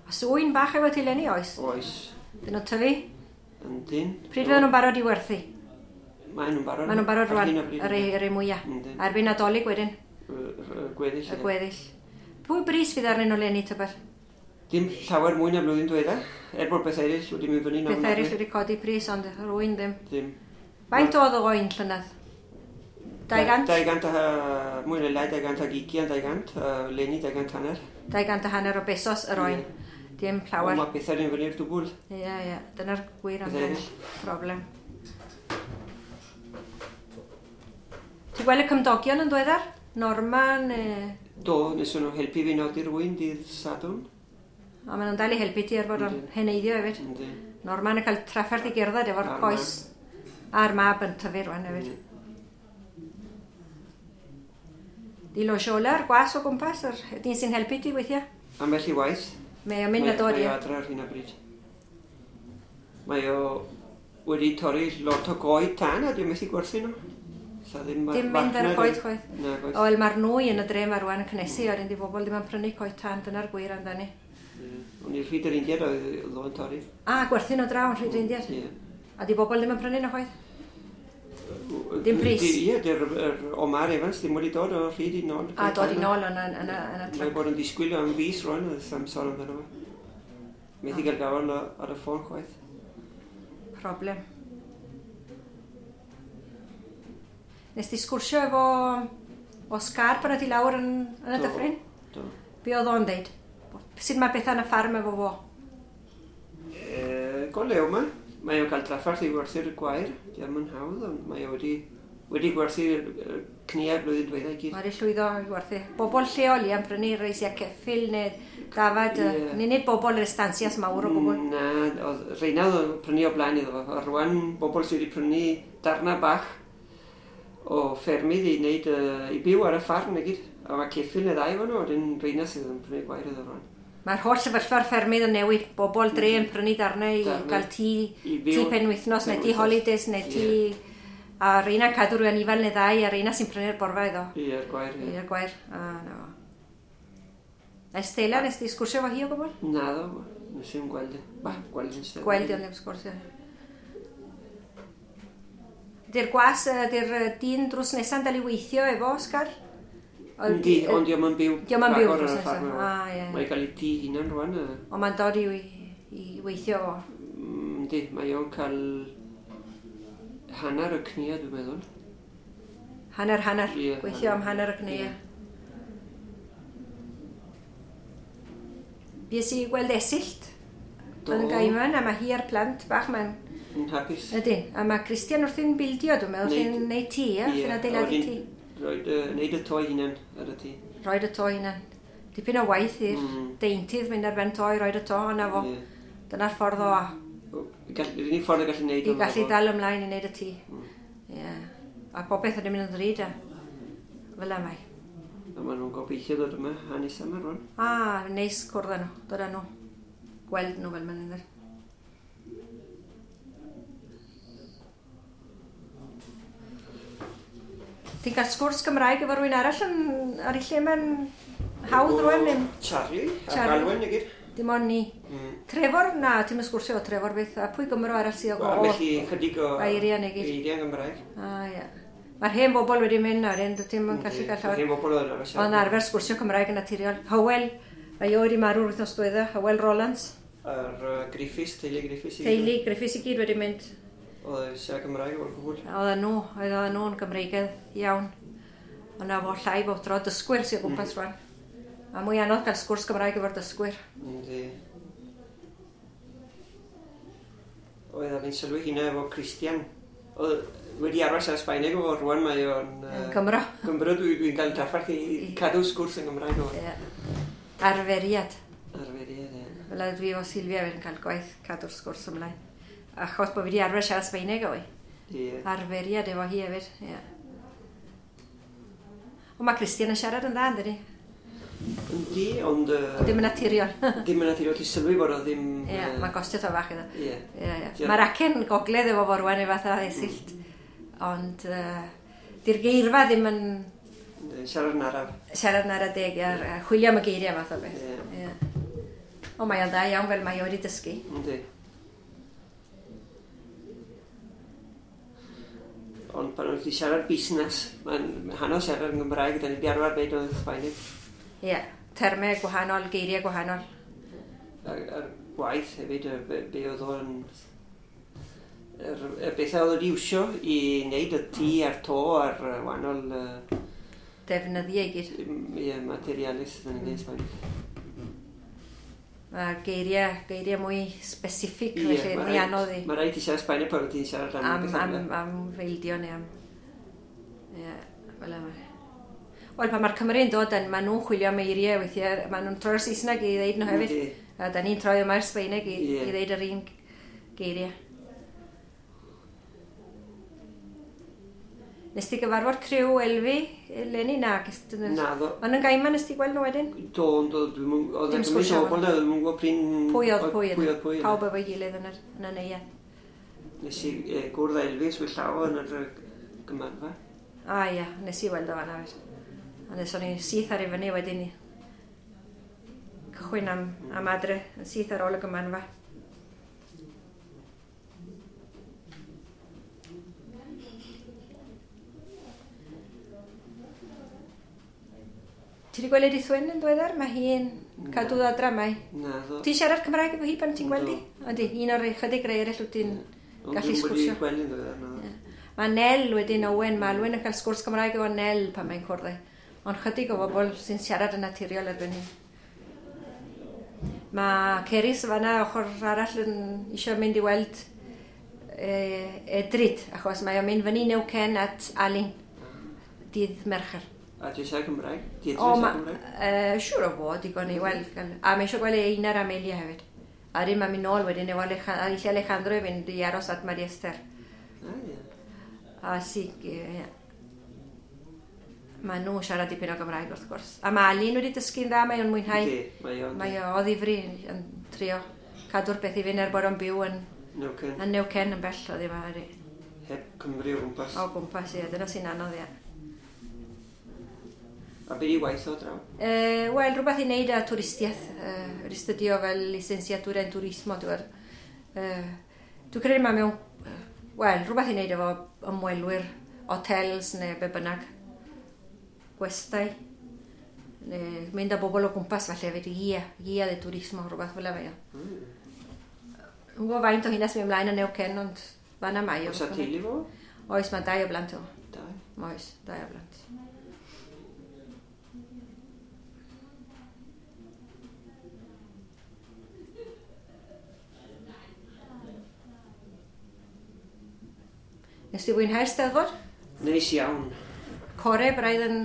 Oes ŵyn bach efo ti leni, oes? Oes. Dyn nhw'n tyfu? Yndyn. Pryd fydden nhw'n barod i werthu? Maen nhw'n barod. Maen nhw'n barod Ar rwan, hyn o bryd, yr ei, yr ei mwyaf. Yndyn. A erbyn Nadolig wedyn, Y gweddill. y ie. gweddill. Pwy bris fydd arnyn nhw leni, tybed? Dim llawer mwy na blwyddyn diwetha, er bod beth eraill wedi mynd fyny. Beth eraill wedi codi pris, ond yr ŵyn ddim. Ddim. Faint oedd o oen llynedd? 200? 200 a mwy neu lai, 220, 200, a leni 250. 250 o besos yr oen. Dim Ond llawer. mae pethau'n mynd fyny'r dwbl. Ie, ie. Dyna'r gwir Beth amdano. eraill. Problem. Ti'n gweld y cymdogion yn dweddar? Norman, Do, nes nhw helpu fi nodi'r wyn dydd Sadwrn. A maen nhw'n dal i helpu ti er bod o'n Yndyn. heneiddio hefyd. Yndyn. Norman yn cael trafferth i gerdded efo'r A'r coes. A'r mab yn tyfu rwan hefyd. Di Losiola'r gwas o gwmpas, yr dyn sy'n helpu ti weithiau. Ambell i waith. Mae o'n mynd a dod, Mae ie. o adre ar hyn o bryd. Mae o wedi torri lot o goed tân a dwi'n methu gwerthu nhw. Sa ddim Dim mynd ar y farchnad coed yn- chwaith. Na, coed. O, wel, mae'r nwy yn y dre ma rwan yn cynnesu, oedden di bobl ddim yn prynu coed tân, dyna'r gwir amdani. Ie. O'n i'r rhyd yr Indiad oedd o'n torri. A, gwerthu nhw draw yn rhyd yr Indiad. Ie. A di bobl ddim yn prynu nhw chwaith. Dim pris. Ie, di'r yr Omar Evans ddim wedi dod o rhyd i nôl. A dod i nôl yn y, yn y, yn y Mae truck. bod yn disgwyl am fis rwan, oedd am sôn amdano fo. Methu gael gafel ar y ffôn chwaith. Problem. Nes di sgwrsio efo Oscar pan oedd hi lawr yn y Do. dyffryn? Do. Be oedd o'n deud? Sut mae bethau yn y ffarm efo fo? Go lew ma. Mae o'n cael trafferth i werthu'r gwair. Diolch yn hawdd, ond mae o wedi gwerthu'r cniau blwyddyn diwetha i gyd. Mae wedi llwyddo i werthu. Bobl lleol i am prynu reisiau ceffyl neu dafad. Ie. Yeah. Nid bobl yr estancias mawr o gwbl. Na, oedd reina oedd o'n prynu o blaen iddo fo. A rwan bobl sydd wedi prynu darna bach o ffermydd i wneud, i byw ar y ffarm i gyd. A mae ceffyl neu ddau efo nhw, wedyn reina sydd yn prynu gwair iddo rwan. Mae'r holl sefyllfa'r ffermydd yn newid. Bobl dre yn prynu darnau i Darnau. gael tŷ, I fyw. tŷ penwythnos neu tŷ Penwythnos. holidays neu tŷ... A reina cadw rhyw anifail neu ddau a reina sy'n prynu'r borfa iddo. Ie'r gwair, ie. I'r gwair. A, na fo. A Estela, nes di sgwrsio efo hi o gwbl? Na ddo, nes i'n gweld e. Ba, gweld yn sedd. Gweld i ond ddim sgwrsio. Di'r gwas, di'r dyn drws nesa'n dal i weithio efo, Oscar? Yndi, ond dio'm yn byw. Dio'm yn byw rhagor drws ar y nesa. ffarm efo. Ah, ie. Mae'n cael ei tŷ hunan rwan. Ond mae'n dod i weithio fo. Yndi, mae o'n cael hanner y cnia, dwi'n meddwl. Hanner, hanner. Ie, Gweithio am hanner y cnia. Ie. Bues i gweld Esyllt Do. yn Gaiman, a mae hi a'r plant bach mae'n... Yn hapus. Ydyn, a mae Christian wrthi'n bildio, dwi'n meddwl, wrthi'n neud tŷ, ie? Wrthi'n adeiladu tŷ. Roed, neud y to hunan ar y tŷ. Roed y to hunan. Dipyn o waith i'r deintydd mynd ar ben to i roed y to, ond na fo. Ie. Dyna'r ffordd o Yr unig ffordd y gallu neud i o gallu fo. dal ymlaen i wneud y tŷ. Ie. A popeth yn mynd yn ddrud, a fel yma. A maen nhw'n gobeithio dod yma hanes yma rwan. A, neis cwrdd â nhw, dod â nhw. Gweld nhw fel ma'n ddweud. Ti'n cael sgwrs Gymraeg efo rhywun arall yn, ar ei lle mae'n hawdd rwan neu Charlie a Charlie. Galwen i gyd. dim ond ni. Trefor? Na, ti'n mynd sgwrsio efo Trefor beth. A pwy Gymro arall sydd o Wel, felly chydig o Eiriau neu gyd. Eiriau Gymraeg. A, ie. Mae'r hen bobl wedi mynd nawr, dwi ddim yn gallu cael llawer. Hen bobl oedd yn arfer siarad. Ond arfer sgwrsio Cymraeg yn naturiol. Hywel, mae o wedi marw'r wythnos diwetha, Hywel Rollins. A'r Griffiths, teulu Griffiths. i gyd. Teulu Griffiths i gyd wedi mynd. Oedd yn siarad Gymraeg o'r gwbl. Oedden nhw, oedden nhw'n Gymreigedd iawn. Ond na fo llai bob tro, dysgwyr sy'n o gwmpas rwan. A mwy anodd cael sgwrs Gymraeg efo'r dysgwyr. Yndi. Oedd a fi'n sylwi hynna efo Christian. Oedd wedi arfer siarad Sbaeneg efo rwan mae o'n... Yn Gymro. Gymro dwi'n cael trafferth i cadw sgwrs yn Gymraeg o. Ie. Arferiad. Arferiad, ie. Fel a dwi efo Silvia wedyn cael gwaith cadw'r sgwrs ymlaen. Achos bod fi wedi arfer siarad Sbaeneg o fi. Ie. Arferiad efo hi hefyd, ie. Ond mae Christian yn siarad yn dda, yn dydi? Yndi, ond... Ddim yn naturiol. Ddim yn naturiol, ti'n sylwi bod o ddim... Ie, mae'n gostio to fach iddo. Ie. Ie, ie. Mae'r acen gogledd efo fo rwan efo fatha Esyllt. Ond di'r geirfa ddim yn Siarad yn araf. siarad yn ara deg, a chwilio am y geiriau math o beth. Ie. Ie. O, mae o'n dda iawn fel mae o wedi dysgu. Yndi. Ond pan oedd wedi siarad busnes, mae'n hanner siarad yn Gymraeg, da ni wedi arfer wneud o'n Sbaeneg. Ie, yeah, termau gwahanol, geiriau gwahanol. A'r gwaith hefyd, be oedd o'n... Y bethau oedd wedi iwsio i wneud y tŷ a'r to a'r wahanol... Defnyddiau i gyd. Ie, materialis, da ni'n dweud Sbaeneg. Mae geiriau mwy specific, felly mwy anodd i. Mae rhaid i siarad Sbaeneg pan ti'n siarad am bethau. Am feildio neu am... Ie, fel yma. Wel, pan mae'r Cymru'n dod yn, maen nhw'n chwilio am eiriau weithiau, maen nhw'n troi'r Saesneg i ddeud nhw hefyd. A da ni'n troi yma i'r Sbaeneg i ddeud yr un geiriau. Nes ti gyfarfod criw Elfi eleni? Na. Naddo. Ond yn Gaiman nes ti gweld nhw wedyn? Do, ond oedd e gymaint o bobl na, dwi'm yn gwybod prin... Pwy oedd pwy? Pwy oedd pwy. Pawb efo'i gilydd yn y neuadd. Nes i gwrdd â Elfi yswyll llaw yn yr gymanfa. A ia, nes i weld o fan'na hefyd. A nes o'n i syth ar i fyny wedyn cychwyn am adre, yn syth ar ôl y gymanfa. Ti wedi gweld Edith Wyn yn ddiweddar? Mae hi'n cadw adra mae. Na, ddo. Ti'n siarad Cymraeg efo hi pan ti'n gweld hi? Yndi, un o'r ychydig rai eraill wyt ti'n gallu sgwrsio. Ond dwi'n wedi gweld yn ddiweddar, na. Mae Nel wedyn, Owen, mae Alwyn yn cael sgwrs Cymraeg efo Nel pan mae'n cwrdd. Ond chydig o bobl sy'n siarad yn naturiol erbyn hyn. Mae Ceris fan'na ochr arall yn eisiau mynd i weld Edryd, achos mae o'n mynd fyny Neuquén at Alun, dydd Mercher. A ti eisiau Cymraeg? Ti eisiau Cymraeg? Siŵr o fod, digon i weld. A mae eisiau gweld Einar a Amelia hefyd. A rydyn mae'n mynd nôl wedyn efo Alejandro i fynd i aros at Maria Esther. A, ie. A sig, ie. Mae nhw'n siarad dipyn o Gymraeg wrth gwrs. A mae Alun wedi dysgu'n dda, mae o'n mwynhau. Yndi, mae o'n. Mae o ddifri yn trio cadw'r beth i fynd er bod o'n byw yn Neuquén. Yn Neuquén yn bell o ddim ar. Heb Cymru o gwmpas. O gwmpas, ie. Dyna sy'n anodd, ie. A beth i waith o draw? Wel, rhywbeth i wneud â twristiaeth. Wedi studio fel licenciatura en turismo, dwi'n dwi'n credu mae mewn... Wel, rhywbeth i wneud efo ymwelwyr, hotels neu be bynnag. Gwestai. Neu mynd â bobl o gwmpas falle hefyd, guía de turismo, rhywbeth fel yma. Dwi'n gwybod faint o hynna sy'n mynd ymlaen yn Neuquén, ond fan'na mae o. Oes 'na teulu fo? Oes, mae 2 o blant o. 2? Oes, 2 o blant. Nes ti fwynhau'r Steddfod? Neis iawn. Core braidd yn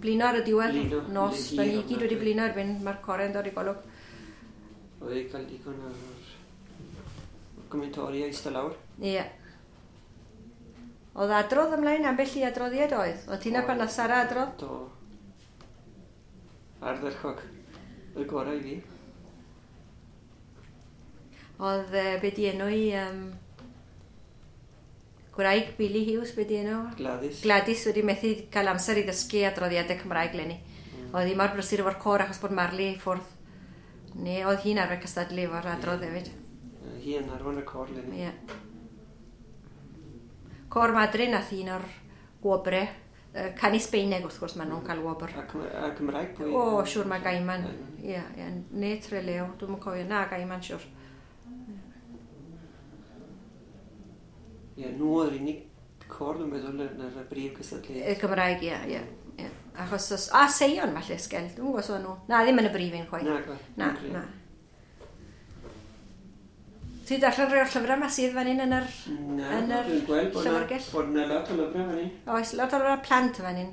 blino ar y diwedd. Blino. Nos, da ni gyd wedi blino erbyn, mae'r core yn dod i golwg. Oedd wedi cael digon o'r commentari a eistedd lawr. Ie. Oedd adrodd ymlaen, ambell i adroddiad oedd? Oedd tina pan nath Sara adrodd? Do. Ardderchog. Y gorau i fi. Oedd, be di enw i... Gwraig Billy Hughes, be di enw? Gladys. Gladys wedi methu cael amser i ddysgu adroddiadau Cymraeg leni. Oedd hi mor brysur efo'r côr achos bod Marley i ffwrdd. Neu oedd hi'n arfer cystadlu efo'r adrodd hefyd. Hi yn arwain y côr leni. Ie. Côr Madrid nath un o'r gwobre. Canu Sbeineg wrth gwrs, maen nhw'n cael wobr. A Cymraeg pwy? O, siŵr mae Gaiman. Ie, ie. Ne Trelew, dwi'm yn cofio. Na, Gaiman, siŵr. Ie, nhw oedd yr unig côr, dwi'n meddwl, yn yr brif cystadleuaeth. Y Gymraeg, ie, ie. Achos os... A Seion, falle, Sgel. Dwi'n gwybod os o'n nhw. Na, ddim yn y brif un, chwaith. Na, na, na. Ti'n darllen rhai o'r llyfrau yma sydd fan hyn yn yr... Na, dwi'n gweld bod yna lot o lyfrau fan hyn. Oes, lot o lyfrau plant fan hyn.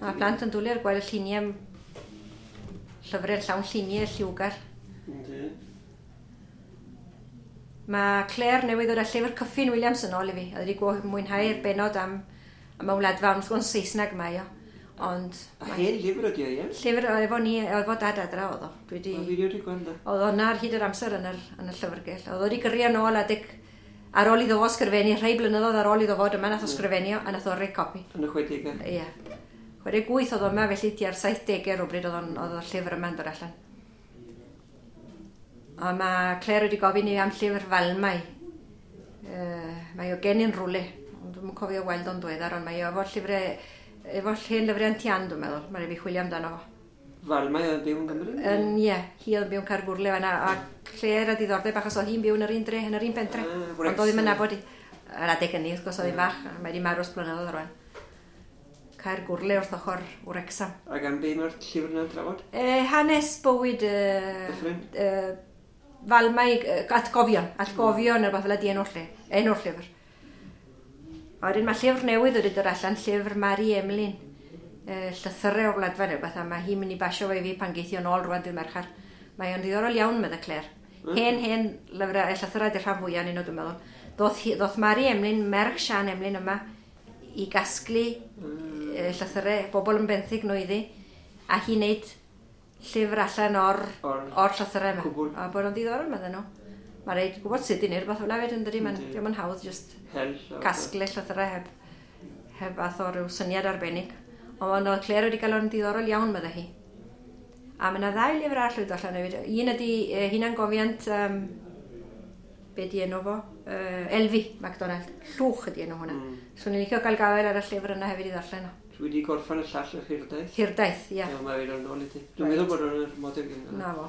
Mae plant yn dwlu ar gweld y lluniau... Llyfrau llawn lluniau lliwgar. Yndi. Mae Claire newydd ddod â llyfr Kyffin Williams yn ôl i fi. Oedd wedi mwynhau'r benod am y Wladfa, ond wrth gwrs Saesneg mae o. Ond... A hen lyfr ydi o, ie? Llyfr efo ni, efo dad adra oedd o. Dwi wedi... O, fi wedi gweld o. Oedd o'na ar hyd yr amser yn y llyfrgell. Oedd o wedi gyrru yn ôl adeg ar ôl iddo fo sgrifennu, rhai blynyddoedd ar ôl iddo fod yma, nath o sgrifennu a nath o roi copi. Yn y 60au? Ie. 68 oedd o yma, felly tua'r 70au rhywbryd oedd o'r llyfr yma'n dod allan. A mae Claire wedi gofyn i am llyfr Falmai. Mae o gen i'n rwle, ond dwi'n cofio weld o'n dweddar, ond mae o efo'r llyfrau, efo'r hen lyfrau yn tian, dwi'n meddwl. Mae'n rhaid fi chwilio amdano fo. Falmai oedd byw yn Gymru? Yn, ie, hi oedd yn byw yn Caergwrle fan'na, a Claire a diddordeb achos oedd hi'n byw yn yr un dre, yn yr un pentre. Ond oedd ddim yn nabod i. Yr adeg hynny, wrth gwrs, oedd hi'n fach, a mae wedi marw ers blynyddoedd rwan. Caergwrle wrth ochr Wrecsam. Ac am be mae'r llyfr yna'n trafod? Hanes bywyd... Dyffryn? Falmai, atgofion, atgofion, mm. Rhywbeth fel ydi enw'r lle, enw'r llyfr. A wedyn mae llyfr newydd wedi dod allan, llyfr Mari Emlyn, llythyrau o'r Wladfa neu rhywbeth, a mae hi'n mynd i basio fe i fi pan geithio nôl rwan dydd Mercher. Mae o'n ddiddorol iawn, medde Claire. Hen, hen lyfrau, llythyrau di'r rhan fwyaf yn nhw, dwi'n meddwl. Ddoth Mari Emlyn, merch Sian Emlyn yma, i gasglu llythyrau, bobl yn benthyg nhw iddi, a hi'n neud llyfr allan o'r llythyrau yma. Cwbl. A bod o'n ddiddorol, medden nhw. Mae'n rhaid gwybod sut i wneud rhywbeth fel hefyd, yn dydi? Mae'n ddim yn hawdd just casglu llythyrau heb fath o ryw syniad arbennig. Ond oedd Claire wedi cael o'n diddorol iawn, medde hi. A mae yna ddau lyfr arall wedi dod allan hefyd. Un ydi hunangofiant, be di enw fo? Elfi MacDonald. Llwch ydi enw hwnna. So ni'n licio cael gafael ar y llyfr yna hefyd i ddarllen o. Dwi wedi gorffen y llall yr Hirdaith. Hirdaith, ie. Yeah. Mae fe'n ôl i ti. Dwi'n meddwl bod o'n yr model gen. Na fo.